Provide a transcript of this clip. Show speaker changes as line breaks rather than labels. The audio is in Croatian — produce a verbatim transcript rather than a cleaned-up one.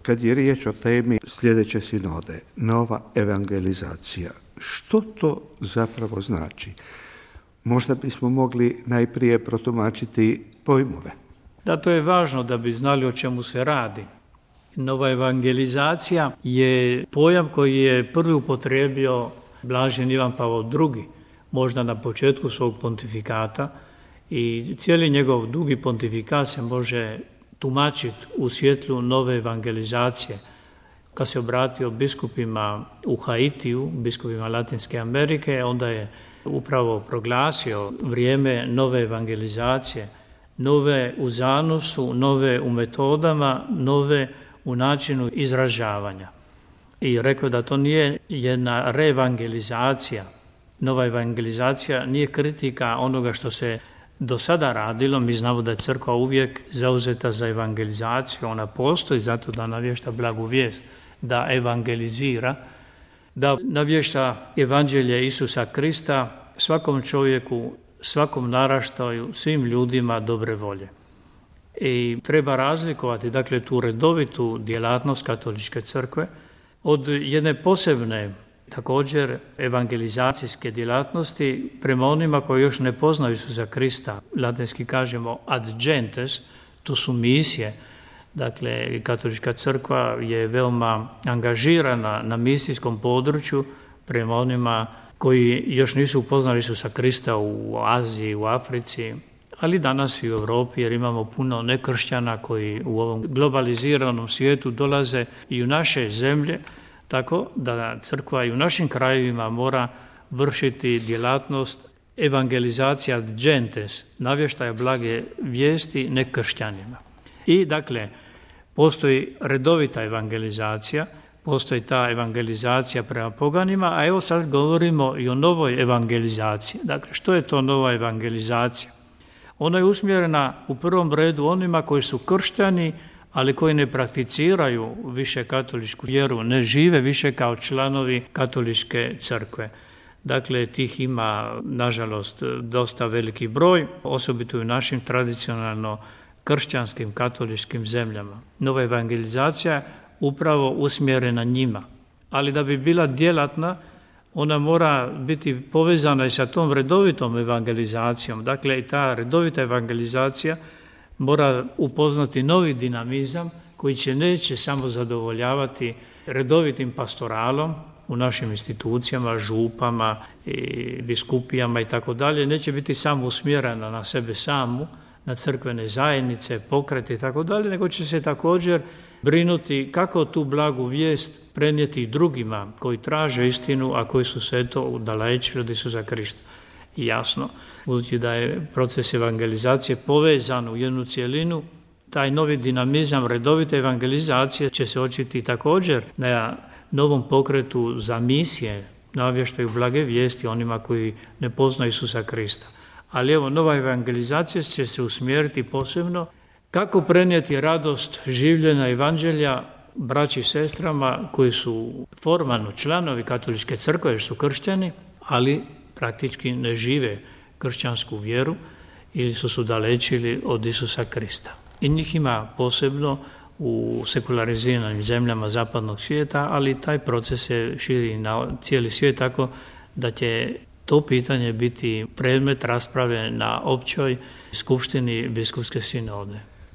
kad je riječ o temi sljedeće sinode, nova evangelizacija. Što to zapravo znači? Možda bismo mogli najprije protumačiti pojmove.
Da, to je važno da bi znali o čemu se radi. Nova evangelizacija je pojam koji je prvi upotrijebio Blažen Ivan Pavao drugi, možda na početku svog pontifikata, i cijeli njegov dugi pontifikat se može tumačiti u svjetlu nove evangelizacije. Kad se obratio biskupima u Haitiju, biskupima Latinske Amerike, onda je upravo proglasio vrijeme nove evangelizacije, nove u zanosu, nove u metodama, nove u načinu izražavanja. I rekao da to nije jedna reevangelizacija. Nova evangelizacija nije kritika onoga što se do sada radilo. Mi znamo da je crkva uvijek zauzeta za evangelizaciju. Ona postoji zato da navješta blagu vijest, da evangelizira, da navješta evanđelje Isusa Krista svakom čovjeku, svakom naraštaju, svim ljudima dobre volje. I treba razlikovati, dakle, tu redovitu djelatnost katoličke crkve od jedne posebne, također, evangelizacijske djelatnosti prema onima koji još ne poznaju Isusa Krista. Latinski kažemo ad gentes, to su misije. Dakle, katolička crkva je veoma angažirana na misijskom području prema onima koji još nisu upoznali Isusa Krista u Aziji, u Africi, ali danas i u Europi, jer imamo puno nekršćana koji u ovom globaliziranom svijetu dolaze i u naše zemlje, tako da crkva i u našim krajevima mora vršiti djelatnost evangelizacija ad gentes, navještaja blage vijesti nekršćanima. I dakle, postoji redovita evangelizacija, postoji ta evangelizacija prema poganima, a evo sad govorimo i o novoj evangelizaciji. Dakle, što je to nova evangelizacija? Ona je usmjerena u prvom redu onima koji su kršćani, ali koji ne prakticiraju više katoličku vjeru, ne žive više kao članovi katoličke crkve. Dakle, tih ima, nažalost, dosta veliki broj, osobito u našim tradicionalno kršćanskim katoličkim zemljama. Nova evangelizacija upravo usmjerena njima, ali da bi bila djelatna, ona mora biti povezana i sa tom redovitom evangelizacijom. Dakle, i ta redovita evangelizacija mora upoznati novi dinamizam koji će neće samo zadovoljavati redovitim pastoralom u našim institucijama, župama, i biskupijama i tako dalje. Neće biti samo usmjerena na sebe samu, na crkvene zajednice, pokrete i tako dalje, nego će se također brinuti kako tu blagu vijest prenijeti drugima koji traže istinu, a koji su se eto udalečili od Isusa Krista. I jasno, budući da je proces evangelizacije povezan u jednu cjelinu, taj novi dinamizam redovite evangelizacije će se očiti također na novom pokretu za misije, navještaju blage vijesti onima koji ne poznaju Isusa Krista. Ali evo, nova evangelizacija će se usmjeriti posebno kako prenijeti radost življenja evanđelja braći i sestrama koji su formalno članovi katoličke crkve jer su kršćani, ali praktički ne žive kršćansku vjeru ili su se udalečili od Isusa Krista. I njih ima posebno u sekulariziranim zemljama zapadnog svijeta, ali taj proces se širi na cijeli svijet, tako da će to pitanje biti predmet rasprave na općoj skupštini biskupske sinode.